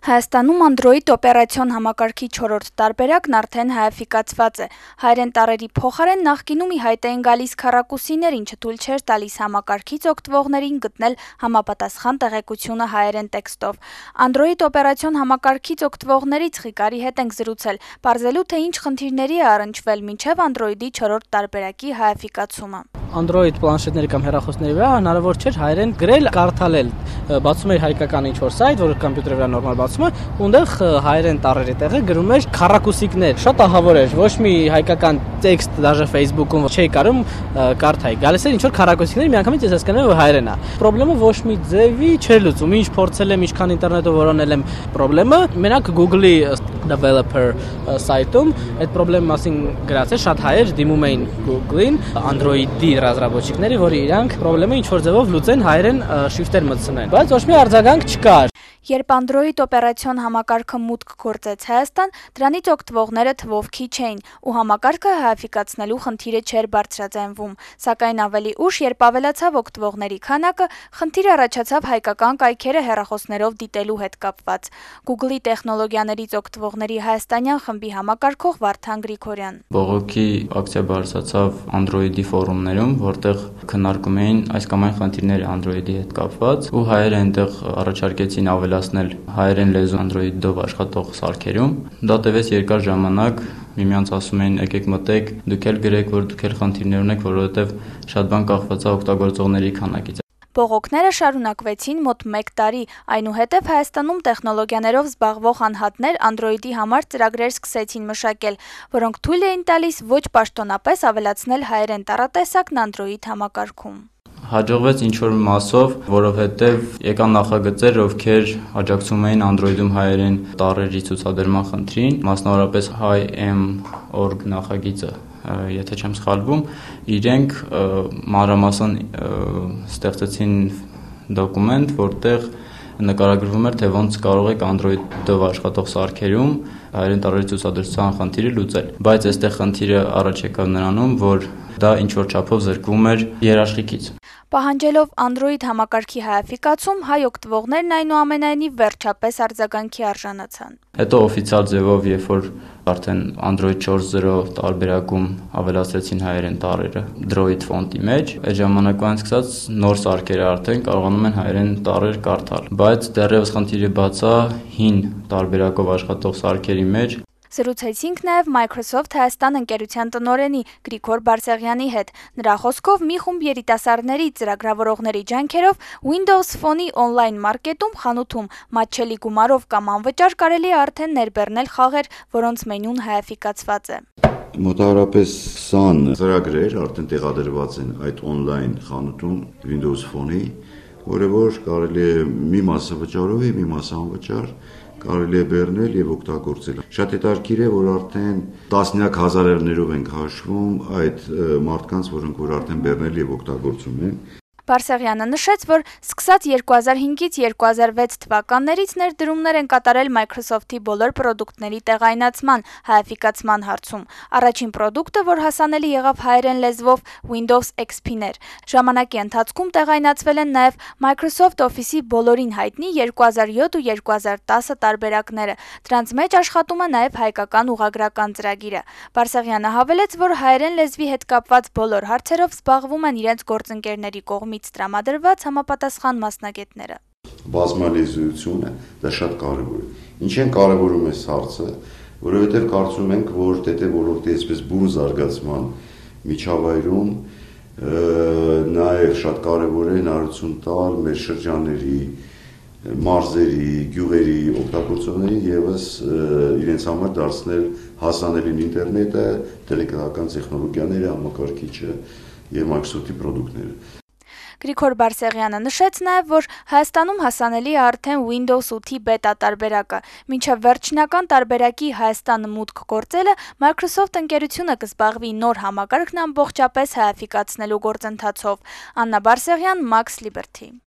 Հայաստանում Android օպերացիոն համակարգի 4-րդ տարբերակն արդեն հայաֆիկացված է։ Հայերեն տառերի փոխարեն նախկինում ի հայտ էին գալիս քառակուսիներ, ինչը թույլ չէր տալիս համակարգից օգտվողներին գտնել համապատասխան տեղեկությունը հայերեն տեքստով։ Android օպերացիոն համակարգից օգտվողներից Ղիկարի հետ ենք զրուցել, պարզելու թե ինչ խնդիրների է առնչվել մինչև Android-ի 4-րդ տարբերակի հայաֆիկացումը։ Android պլանշետների կամ հեռախոսների վրա հնարավոր չէր հայերեն գրել, կարդալել։ Բացում էր հայկական ինչ-որ сайт, որը համակարգի վրա նորմալ բացում է, ունդեղ հայերեն տառերի տեղը գրում էր քառակուսիկներ։ Շատ ահավոր էր, ոչ մի հայկական տեքստ դաժե Facebook-ում չէի կարում կարդայի։ Գալիս էր ինչ-որ քառակուսիկներ, միանգամից ես հասկանում եմ, որ հայերեն է։ Պրոբլեմը ոչ մի ձևի չէր լուծում, ինչ փորձել եմ, ինչքան ինտերնետով որոնել եմ պրոբլեմը, մենակ Google-ի developer սայթում այդ պրոբլեմի մասին գրած է, շատ հայեր դիմում էին Google-ին, Android-ի ռազմավարությունների, որ իրանք պրոբլեմը ինչ-որ ձևով լուծեն, հայերեն շրիֆտեր մտցնեն, բայց ոչ մի արձագանք չկար։ Երբ Android օպերացիոն համակարգը մուտք գործեց Հայաստան, դրանից օգտվողները թվով քիչ էին, ու համակարգը հայաֆիկացնելու խնդիրը չէր բարձրաձայնվում, սակայն ավելի ուշ, երբ ավելացավ օգտվողների քանակը, խնդիր առաջացավ հայկական կայքերը հեռախոսներով դիտելու հետ կապված։ Google-ի տեխնոլոգիաներից օգտվողների հայաստանյան խմբի համակարգող Վարդան Գրիգորյան։ Բողոքի ակցիա բարձրացավ Android-ի ֆորումներում, որտեղ քննարկում էին այս կամ այն խնդիրները Android-ի հետ կապված, ու հայերը այնտեղ առաջարկեցին ավելացնել հայերեն լեզու Android-ով աշխատող սարքերում։ Դա տևեց երկար ժամանակ, միմյանց ասում էին եկեք մտեք, դուք էլ գրեք, որ դուք էլ խնդիրներ ունեք, որովհետև շատ բան կախված է օգտագործողների քանակից։ Բողոքները շարունակվեցին մոտ 1 տարի, այնուհետև Հայաստանում տեխնոլոգիաներով զբաղվող անհատներ Android-ի համար ծրագրեր սկսեցին մշակել, որոնք թույլ էին տալիս ոչ պաշտոնապես ավելացնել հայերեն տառատեսակն Android համակարգում։ Հաջողվեց ինչ-որ մասով, որովհետև եկան նախագծեր, ովքեր աջակցում էին Android-ում հայերեն տառերի ցուցադրման խնդրին, մասնավորապես Hi-M.org նախագիծը, եթե չեմ սխալվում, իրենք մանրամասն ստեղծեցին դոկումենտ, որտեղ նկարագրվում էր, թե ոնց կարող եք Android-ով աշխատող սարքերում հայերեն տառերի ցուցադրության խնդիրը լուծել, բայց այստեղ խնդիրը առաջ եկավ նրանում, որ դա ինչ-որ չափով զրկվում էր երաշխիքից։ Պահանջելով Android համակարգի հայաֆիկացում, հայ օգտվողներն այնուամենայնիվ վերջապես արձագանքի արժանացան։ Հետո օֆիցիալ ձևով, երբ որ արդեն Android 4.0 տարբերակում ավելացրեցին հայերեն տառերը Droid ֆոնտի մեջ, այդ ժամանակվանից սկսած նոր սարքերը արդեն կարողանում են հայերեն տառեր կարդալ, բայց դեռևս խնդիրը բաց է հին տարբերակով աշխատող սարքերի մեջ։ Զրուցեցինք նաև Microsoft Հայաստան ընկերության տնօրենի Գրիգոր Բարսեղյանի հետ։ Նրա խոսքով մի խումբ երիտասարդների ծրագրավորողների ջանքերով Windows Phone-ի on-line մարքետում խանութում մատչելի գումարով կամ անվճար կարելի է արդեն ներբեռնել խաղեր, որոնց մենյուն հայաֆիկացված է։ Մոտավորապես 20 ծրագրեր արդեն տեղադրված են այդ on-line խանութում Windows Phone-ի, որը որ կարելի է մի մասը վճարով, մի մասը անվճար կարելի է բեռնել եւ օգտագործել։ Շատ հետաքրքիր է, որ արդեն տասնյակ հազարերներով ենք հաշվում այդ մարդկանց, որոնք որ արդեն բեռնել եւ օգտագործում են։ Բարսեղյանը նշեց, որ սկսած 2005-ից 2006 թվականներից ներդրումներ են կատարել Microsoft-ի բոլոր պրոդուկտների տեղայնացման, հայաֆիկացման հարցում։ Առաջին պրոդուկտը, որ հասանելի եղավ հայերեն լեզվով, Windows XP-ն էր։ Ժամանակի ընթացքում տեղայնացվել են նաև Microsoft Office-ի բոլորին հայտնի 2007 ու 2010 տարբերակները։ Դրանց մեջ աշխատում է նաև հայկական ուղղագրական ծրագիրը։ Բարսեղյանը հավելեց, որ հայերեն լեզվի հետ կապված բոլոր հարցերով զբաղվում են իրենց գործընկերների կողմից տրամադրված համապատասխան մասնագետները։ Բազմալեզուությունը դա շատ կարևոր է։ Ինչ են կարևորում այս հարցը, որովհետև կարծում ենք, որ ՏՏ ոլորտի այսպես բուն զարգացման միջավայրում նաև շատ կարևոր է հնարավորություն տալ մեր շրջանների, մարզերի, գյուղերի օգտագործողներին եւս իրենց համար դարձնել հասանելին ինտերնետը, տելեկայնական տեխնոլոգիաները, համակարգիչը եւ Microsoft-ի պրոդուկտները։ Գրիգոր Բարսեղյանը նշեց նաև, որ Հայաստանում հասանելի է արդեն Windows 8-ի բետա տարբերակը։ Մինչև վերջնական տարբերակի Հայաստանը մուտք գործելը Microsoft ընկերությունը կզբաղվի նոր համակարգն ամբողջապես հայաֆիկացնելու գործընթացով։ Աննա Բարսեղյան, Max Liberty։